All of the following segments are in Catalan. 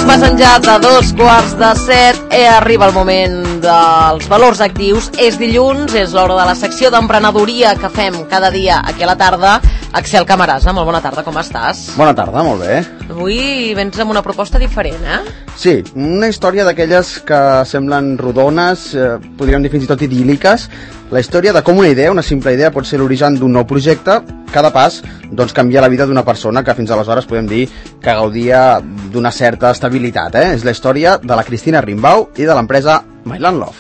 Passen ja de 6:45, arriba el moment dels valors actius. És dilluns, és l'hora de la secció d'emprenedoria que fem cada dia aquí a la tarda. Axel Camarasa, molt bona tarda, com estàs? Bona tarda, molt bé. Avui vens amb una proposta diferent, Sí, una història d'aquelles que semblen rodones, podríem dir fins i tot idíl·liques. La història de com una idea, una simple idea, pot ser l'origen d'un nou projecte. Cada pas, doncs, canvia la vida d'una persona que fins aleshores podem dir que gaudia d'una certa estabilitat, És la història de la Cristina Rimbau i de l'empresa Myland Love.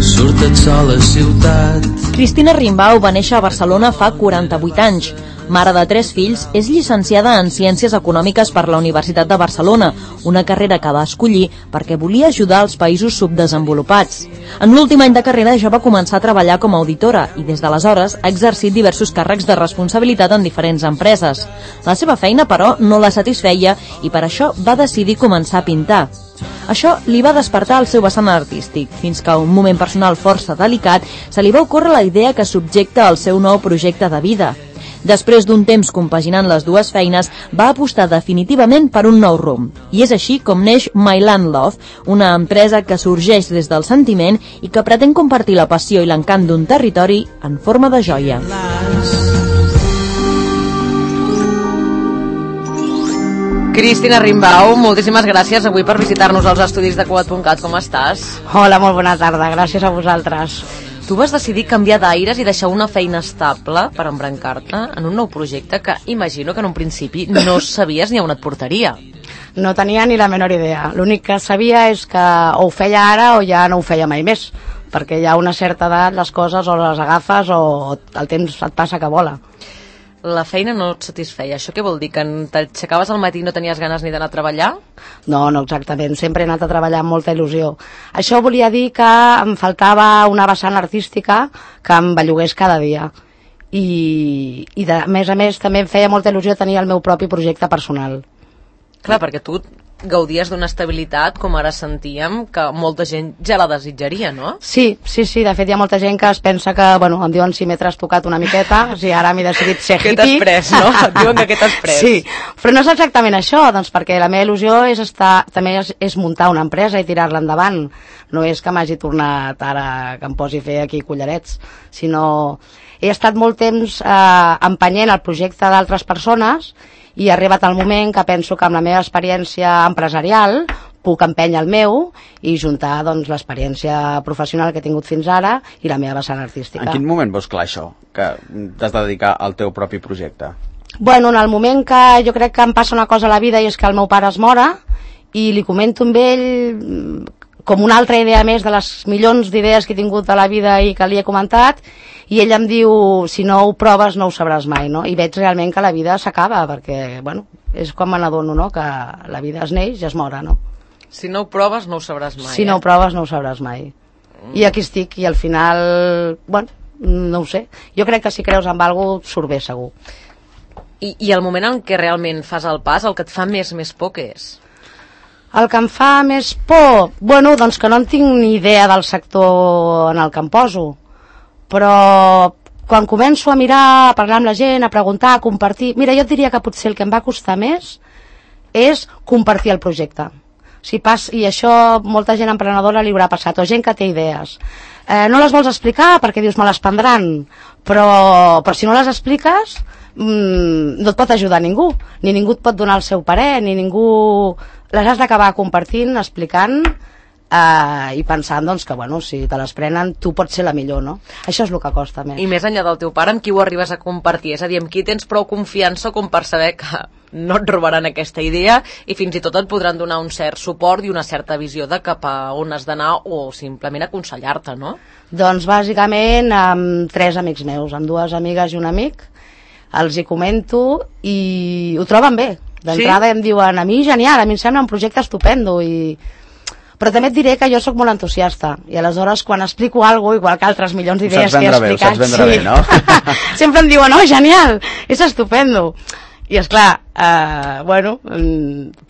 Surta't sol a ciutat. Cristina Rimbau va néixer a Barcelona fa 48 anys. Mare de 3 fills, és llicenciada en Ciències Econòmiques per la Universitat de Barcelona, una carrera que va escollir perquè volia ajudar els països subdesenvolupats. En l'últim any de carrera ja va començar a treballar com a auditora i des d'aleshores ha exercit diversos càrrecs de responsabilitat en diferents empreses. La seva feina, però, no la satisfeia i per això va decidir començar a pintar. Això li va despertar el seu vessant artístic, fins que a un moment personal força delicat se li va ocórrer la idea que subjecta al seu nou projecte de vida. Després d'un temps compaginant les dues feines, va apostar definitivament per un nou rumb. I és així com neix Myland Love, una empresa que sorgeix des del sentiment i que pretén compartir la passió i l'encant d'un territori en forma de joia. Cristina Rimbau, moltíssimes gràcies avui per visitar-nos als estudis de Cugat.cat. Com estàs? Hola, molt bona tarda, gràcies a vosaltres. Tu vas decidir canviar d'aires i deixar una feina estable per embrancar-te en un nou projecte que imagino que en un principi no sabies ni on et portaria. No tenia ni la menor idea. L'únic que sabia és que o ho feia ara o ja no ho feia mai més, perquè ja a una certa edat les coses o les agafes o el temps et passa que vola. La feina no et satisfeia. Això què vol dir? Que t'aixecaves al matí i no tenies ganes ni d'anar a treballar? No, no exactament. Sempre he anat a treballar amb molta il·lusió. Això volia dir que em faltava una vessant artística que em bellugués cada dia. I a més també em feia molta il·lusió tenir el meu propi projecte personal. Clar, perquè tu gaudies d'una estabilitat, com ara sentíem, que molta gent ja la desitjaria, no? Sí, de fet hi ha molta gent que es pensa que, em diuen si m'he trastocat una miqueta, si ara m'he decidit ser hippie. Què t'has pres, no? Et diuen que què t'has pres. Sí, però no és exactament això, doncs perquè la meva il·lusió també és muntar una empresa i tirar-la endavant. No és que m'hagi tornat ara que em posi a fer aquí collarets, sinó he estat molt temps empenyent el projecte d'altres persones i ha arribat el moment que penso que amb la meva experiència empresarial puc empènyer el meu i juntar l'experiència professional que he tingut fins ara i la meva vessant artística. En quin moment veus clar això, que t'has de dedicar al teu propi projecte? En el moment que jo crec que em passa una cosa a la vida i és que el meu pare es mora i li comento amb ell com una altra idea més de les milions d'idees que he tingut a la vida i que li he comentat, i ell em diu, si no ho proves no ho sabràs mai, no? I veig realment que la vida s'acaba, perquè, és quan me n'adono, no?, que la vida es neix i es mora, no? Si no ho proves no ho sabràs mai. Si no ho proves no ho sabràs mai. I aquí estic, i al final, no ho sé. Jo crec que si creus en alguna cosa surt bé, segur. I el moment en què realment fas el pas, el que et fa més por, què és? El que em fa més por? Doncs que no en tinc ni idea del sector en el que em poso. Però quan començo a mirar, a parlar amb la gent, a preguntar, a compartir... Mira, jo et diria que potser el que em va costar més és compartir el projecte. I això molta gent emprenedora li haurà passat, o gent que té idees. No les vols explicar perquè dius me les prendran, però si no les expliques no et pot ajudar ningú, ni ningú et pot donar el seu parer, ni ningú... Les has d'acabar compartint, explicant i pensant que si te les prenen tu pots ser la millor, no? Això és el que costa més. I més enllà del teu pare, amb qui ho arribes a compartir? És a dir, amb qui tens prou confiança com per saber que no et robaran aquesta idea i fins i tot et podran donar un cert suport i una certa visió de cap a on has d'anar o simplement aconsellar-te, no? Doncs bàsicament amb 3 amics meus, amb 2 amigues i un amic, els hi comento i ho troben bé. D'entrada em diuen, a mi genial, a mi em sembla un projecte estupendo, però també et diré que jo sóc molt entusiasta i aleshores quan explico alguna cosa, igual que altres milions d'idees que he explicat, ho saps vendre bé, no? Sempre em diuen, genial, és estupendo. I esclar,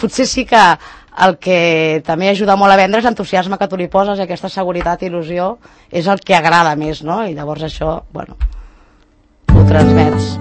potser sí que el que també ajuda molt a vendre és l'entusiasme que tu li poses, i aquesta seguretat i il·lusió és el que agrada més, no? I llavors això, transmets.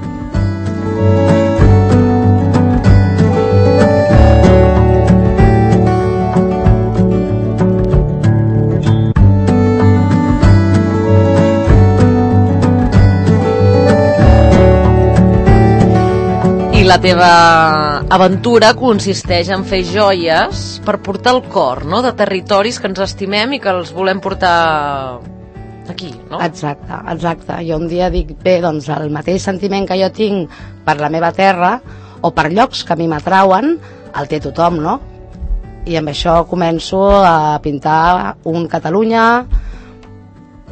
La teva aventura consisteix en fer joies per portar el cor, no?, de territoris que ens estimem i que els volem portar aquí, no? Exacte, exacte. Jo un dia dic, bé, doncs el mateix sentiment que jo tinc per la meva terra o per llocs que a mi m'atrauen, el té tothom, no? I amb això començo a pintar un Catalunya,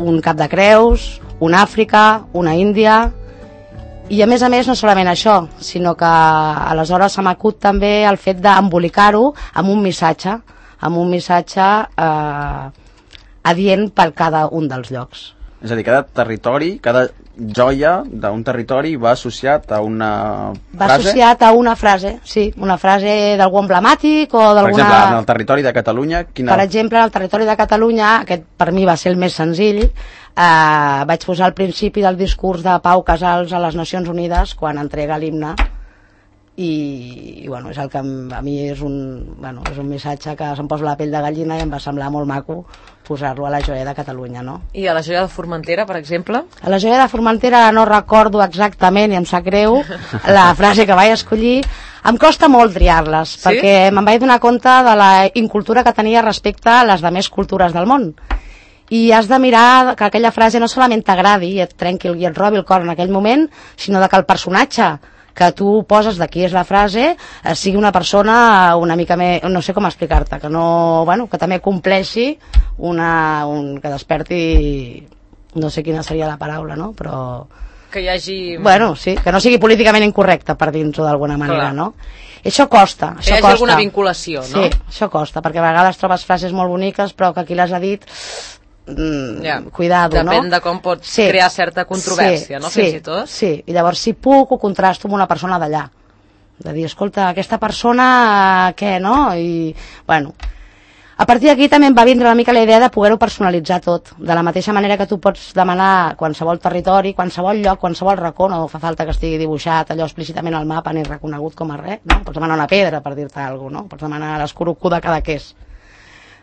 un Cap de Creus, un Àfrica, una Índia. I a més no solament això, sinó que aleshores se m'acut també el fet d'embolicar-ho amb un missatge adient per cada un dels llocs. És a dir, cada territori, cada joia d'un territori va associat a una frase? Va associat a una frase, sí, una frase d'algú emblemàtic o d'alguna... Per exemple, en el territori de Catalunya... Per exemple, en el territori de Catalunya, aquest per mi va ser el més senzill, vaig posar al principi del discurs de Pau Casals a les Nacions Unides quan entrega l'himne i bueno, és el que a mi és un missatge que se'm posa la pell de gallina i em va semblar molt maco posar-lo a la joia de Catalunya, no? I a la joia de Formentera, per exemple? A la joia de Formentera no recordo exactament, i em sap greu, la frase que vaig escollir. Em costa molt triar-les, sí? Perquè me'n vaig donar compte de la incultura que tenia respecte a les demés cultures del món. I has de mirar que aquella frase no solament t'agradi i et trenqui i et robi el cor en aquell moment, sinó que el personatge que tu poses de qui és la frase sigui una persona una mica més, no sé com explicar-te, que no, bueno, que també compleixi que desperti, no sé quina seria la paraula, no? Però que hi hagi... Bueno, sí, que no sigui políticament incorrecte, per dir-ho d'alguna manera, no? Això costa, això costa. Que hi hagi alguna vinculació, no? Sí, això costa, perquè a vegades trobes frases molt boniques, però que qui les ha dit... cuidado, no? Depèn de com pots crear certa controvèrsia, no? Fins i tot. Sí, i llavors si puc ho contrasto amb una persona d'allà, de dir, escolta, aquesta persona què, no? I, bueno, a partir d'aquí també em va vindre una mica la idea de poder-ho personalitzar tot, de la mateixa manera que tu pots demanar qualsevol territori, qualsevol lloc, qualsevol racó, no fa falta que estigui dibuixat allò explícitament al mapa ni reconegut com a res, no? Pots demanar una pedra, per dir-te alguna cosa, no? Pots demanar l'escurucú de Cadaqués.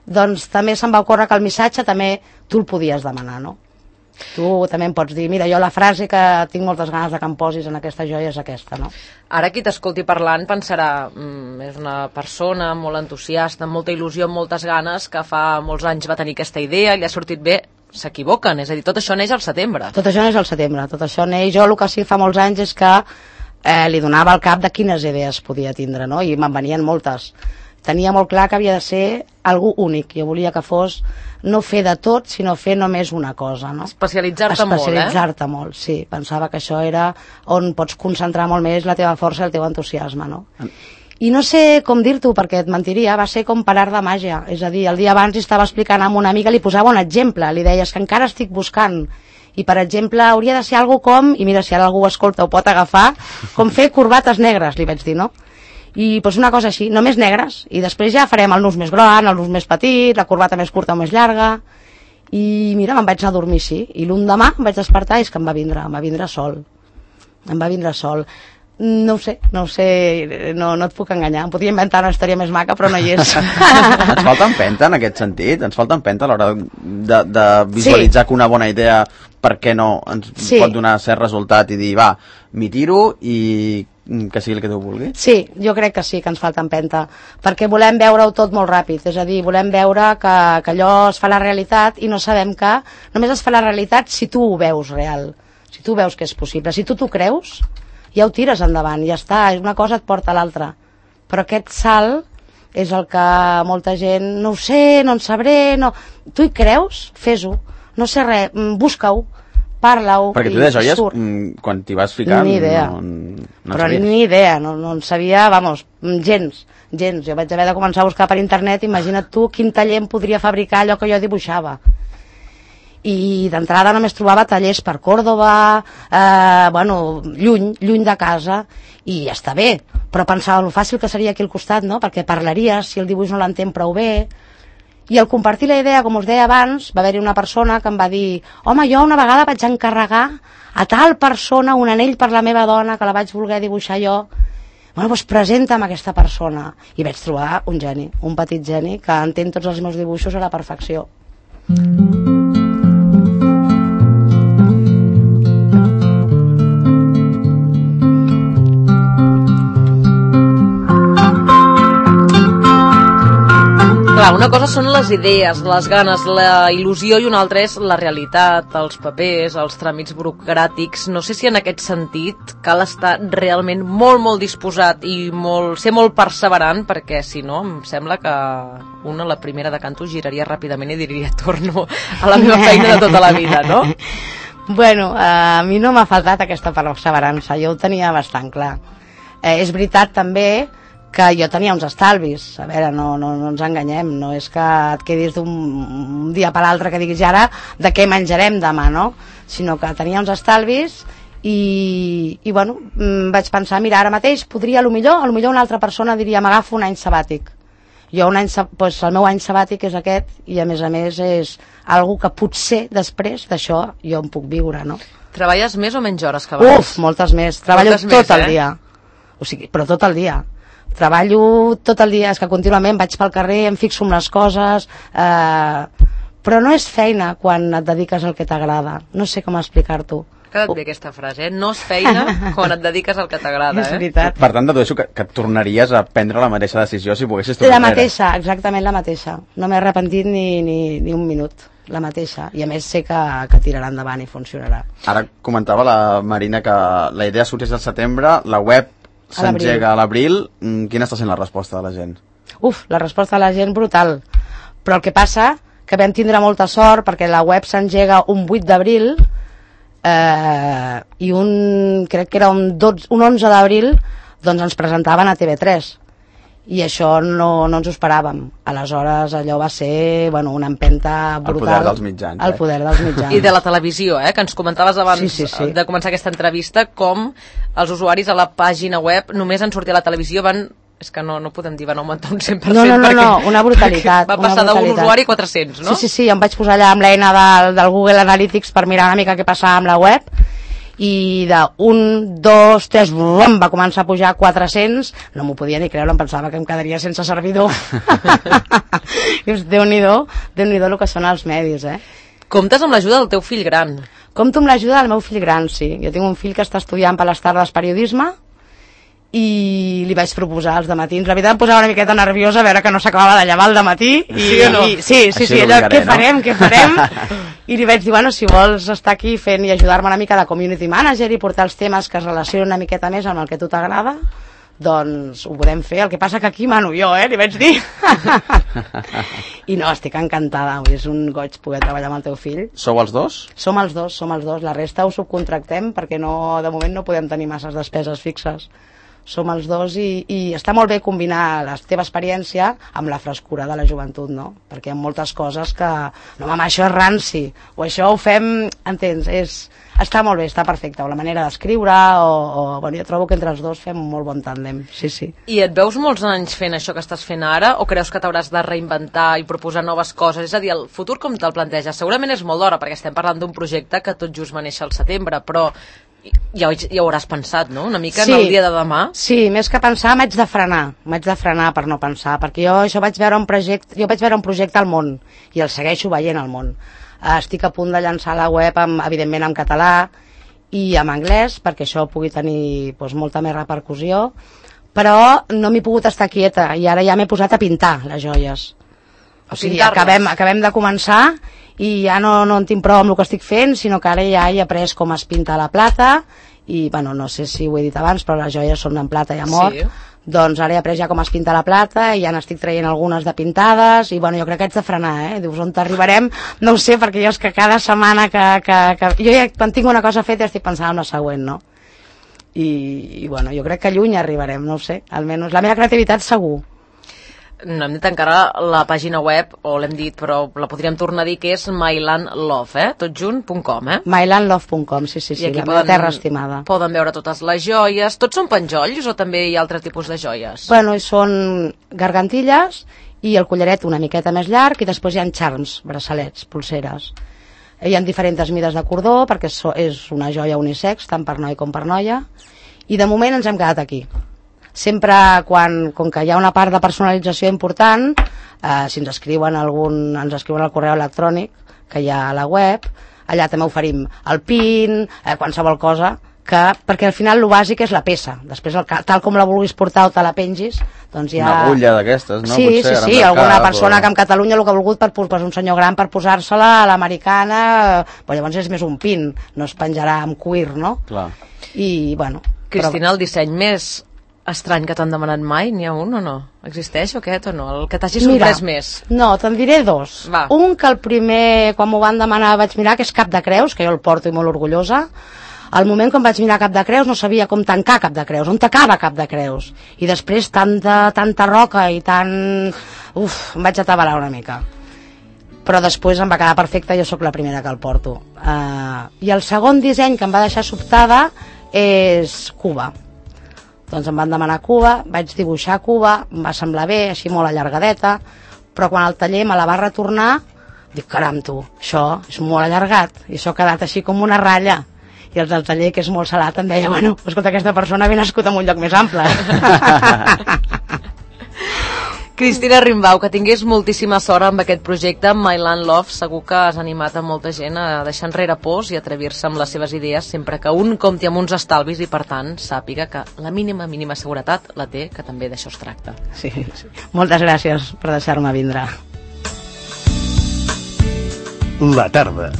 Doncs també se'm va ocórrer que el missatge també tu el podies demanar, no? Tu també em pots dir, mira, jo la frase que tinc moltes ganes de que em posis en aquesta joia és aquesta, no? Ara qui t'escolti parlant pensarà, és una persona molt entusiasta, amb molta il·lusió, amb moltes ganes, que fa molts anys va tenir aquesta idea, li ha sortit bé. S'equivoquen, és a dir, tot això neix al setembre. Tot això neix al setembre, tot això neix... Jo el que sí fa molts anys és que li donava al cap de quines idees podia tindre, no? I me'n venien moltes. Tenia molt clar que havia de ser algú únic. Jo volia que fos no fer de tot, sinó fer només una cosa, no? Especialitzar-te molt, Especialitzar-te molt, sí. Pensava que això era on pots concentrar molt més la teva força i el teu entusiasme, no? I no sé com dir-t'ho, perquè et mentiria, va ser com per art de màgia. És a dir, el dia abans estava explicant amb una amiga, li posava un exemple, li deies que encara estic buscant. I, per exemple, hauria de ser algo com, i mira, si ara algú ho escolta ho pot agafar, com fer corbates negres, li vaig dir, no? I doncs una cosa així, només negres, i després ja farem el nus més gran, el nus més petit, la corbata més curta o més llarga, i mira, me'n vaig anar a dormir així, i l'endemà em vaig despertar i és que em va vindre sol. No ho sé, no et puc enganyar, em podria inventar una història més maca, però no hi és. Ens falta empenta en aquest sentit, ens falta empenta a l'hora de visualitzar que una bona idea, per què no, ens pot donar cert resultat i dir, va, m'hi tiro i que sigui el que tu vulguis? Sí, jo crec que sí, que ens falta empenta, perquè volem veure-ho tot molt ràpid, és a dir, volem veure que allò es fa la realitat i no sabem que només es fa la realitat si tu ho veus real, si tu veus que és possible, si tu t'ho creus, ja ho tires endavant, ja està, una cosa et porta a l'altra, però aquest salt és el que molta gent, no ho sé, no en sabré, no... Tu hi creus? Fes-ho, no sé res, busca-ho, parla-ho. Perquè tu de joies, quan t'hi vas ficar, ni idea. No però sabies. Ni idea, no en sabia, vamos, gens. Jo vaig haver de començar a buscar per internet, imagina't tu quin taller em podria fabricar allò que jo dibuixava. I d'entrada només trobava tallers per Còrdova, lluny de casa, i ja està bé, però pensava lo fàcil que seria aquí al costat, no? Perquè parlaries, si el dibuix no l'entén prou bé, I al compartir la idea, com us deia abans, va haver-hi una persona que em va dir home, jo una vegada vaig encarregar a tal persona un anell per la meva dona que la vaig voler dibuixar jo. Bueno, doncs presenta'm aquesta persona. I vaig trobar un geni, un petit geni que entén tots els meus dibuixos a la perfecció. Clar, una cosa són les idees, les ganes, la il·lusió, i una altra és la realitat, els papers, els tràmits burocràtics. No sé si en aquest sentit cal estar realment molt disposat i ser molt perseverant, perquè si no em sembla que una, la primera de canto, giraria ràpidament i diria torno a la meva feina de tota la vida, no? Bueno, a mi no m'ha faltat aquesta perseverança, jo ho tenia bastant clar. És veritat també que jo tenia uns estalvis, a veure, no ens enganyem, no és que et quedis d'un dia per l'altre que diguis ara de què menjarem demà, no? Sinó que tenia uns estalvis i bueno, vaig pensar, mira, ara mateix podria, a lo millor una altra persona diria m'agafo un any sabàtic. Jo doncs el meu any sabàtic és aquest i a més és algo que potser després d'això jo em puc viure, no? Treballes més o menys hores que abans? Uf, moltes més, treballo tot el dia, o sigui, però tot el dia. Treballo tot el dia, és que contínuament vaig pel carrer, em fixo en les coses, però no és feina quan et dediques al que t'agrada. No sé com explicar-t'ho. Queda't bé aquesta frase, No és feina quan et dediques al que t'agrada, És veritat. Per tant, dedueixo que et tornaries a prendre la mateixa decisió si poguessis tornar La mateixa, exactament la mateixa. No m'he arrepentit ni un minut, la mateixa. I a més sé que tirarà endavant i funcionarà. Ara comentava la Marina que la idea sorteix al setembre, la web s'engega a l'abril. Quina està sent la resposta de la gent? Uf, la resposta de la gent brutal. Però el que passa que vam tindre molta sort perquè la web s'engega un 8 d'abril i crec que era un 11 d'abril doncs ens presentaven a TV3 i això no ens ho esperàvem. Aleshores allò va ser una empenta brutal. El poder dels mitjans. El poder dels mitjans. I de la televisió, que ens comentaves abans sí. de començar aquesta entrevista, com els usuaris a la pàgina web només en sortir a la televisió és que no podem dir, van augmentar un 100%. No, una brutalitat. Va passar d'un usuari a 400, no? Sí, em vaig posar allà amb l'eina del Google Analytics per mirar una mica què passava amb la web i de 1, 2, 3 va començar a pujar a 400, no m'ho podia ni creure, em pensava que em quedaria sense servidor. Déu-n'hi-do el que són els medis, Comptes amb l'ajuda del teu fill gran. Compto amb l'ajuda del meu fill gran, sí. Jo tinc un fill que està estudiant per les tardes periodisme i li vaig proposar els dematins. La veritat em posava una miqueta nerviosa a veure que no s'acabava de llevar al dematí. Sí o no? Sí, allò, què farem? I li vaig dir, si vols estar aquí fent i ajudar-me una mica de community manager i portar els temes que es relacionen una miqueta més amb el que a tu t'agrada, doncs ho podem fer. El que passa que aquí mano jo, li vaig dir. I no, estic encantada, és un goig poder treballar amb el teu fill. Sou els dos? Som els dos, la resta ho subcontractem perquè de moment no podem tenir masses despeses fixes. Som els dos i està molt bé combinar la teva experiència amb la frescura de la joventut, no? Perquè hi ha moltes coses que no, mama, això és ranci o això ho fem, entens? Està molt bé, està perfecte, o la manera d'escriure jo trobo que entre els dos fem un molt bon tàndem, sí. I et veus molts anys fent això que estàs fent ara o creus que t'hauràs de reinventar i proposar noves coses? És a dir, el futur com te'l planteges? Segurament és molt d'hora perquè estem parlant d'un projecte que tot just va néixer al setembre, però ja ho hauràs pensat, no? Una mica en el dia de demà. Sí, més que pensar m'haig de frenar per no pensar, perquè jo vaig veure un projecte al món i el segueixo veient al món. Estic a punt de llançar la web evidentment en català i en anglès perquè això pugui tenir molta més repercussió, però no m'he pogut estar quieta i ara ja m'he posat a pintar les joies. O sigui, acabem de començar i ja no en tinc prou amb el que estic fent, sinó que ara ja he après com es pinta la plata i, no sé si ho he dit abans, però les joies són en plata i amor. Sí. Doncs ara he après ja com es pinta la plata i ja n'estic traient algunes de pintades i jo crec que haig de frenar, Dius, on t'arribarem? No ho sé, perquè jo és que cada setmana jo ja quan tinc una cosa feta estic pensant en la següent, no? I jo crec que lluny arribarem, no ho sé, almenys la meva creativitat segur. No hem dit encara la pàgina web, o l'hem dit, però la podríem tornar a dir, que és mylandlove, totjunt.com, mylandlove.com, sí, la meva terra estimada. Poden veure totes les joies. Tots són penjolls o també hi ha altre tipus de joies? Són gargantilles i el collaret una miqueta més llarg, i després hi ha charms, braçalets, pulseres. Hi ha diferents mides de cordó, perquè és una joia unisex, tant per noi com per noia, i de moment ens hem quedat aquí. Sempre, com que hi ha una part de personalització important, si ens escriuen al correu electrònic que hi ha a la web, allà també oferim el pin, qualsevol cosa, perquè al final el bàsic és la peça. Després, tal com la vulguis portar o te la pengis, doncs hi ha... Una agulla d'aquestes, no? Sí, alguna persona que en Catalunya el que ha volgut per un senyor gran per posar-se-la a l'americana, però llavors és més un pin, no es penjarà amb cuir, no? Clar. I, bueno... Cristina, el disseny més estrany que t'han demanat mai, n'hi ha un o no? Existeix aquest o no? El que t'hagi sorprès més? No, te'n diré dos. Va. Un que el primer, quan m'ho van demanar, vaig mirar, que és Cap de Creus, que jo el porto i molt orgullosa. Al moment quan vaig mirar Cap de Creus no sabia com tancar Cap de Creus, on tacava Cap de Creus. I després tanta roca i tant... em vaig atabalar una mica. Però després em va quedar perfecte, jo sóc la primera que el porto. I el segon disseny que em va deixar sobtada és Cuba. Doncs em van demanar Cuba, vaig dibuixar Cuba, em va semblar bé, així molt allargadeta, però quan el taller me la va retornar, dic, caram tu, això és molt allargat, i això ha quedat així com una ratlla. I els del taller, que és molt salat, em deia, bueno, escolta, aquesta persona havia nascut en un lloc més ample. Cristina Rimbau, que tingués moltíssima sort amb aquest projecte, amb My Land Love. Segur que has animat a molta gent a deixar enrere pors i atrevir-se amb les seves idees, sempre que un compti amb uns estalvis i, per tant, sàpiga que la mínima seguretat la té, que també d'això es tracta. Sí. Moltes gràcies per deixar-me vindre. La tarda.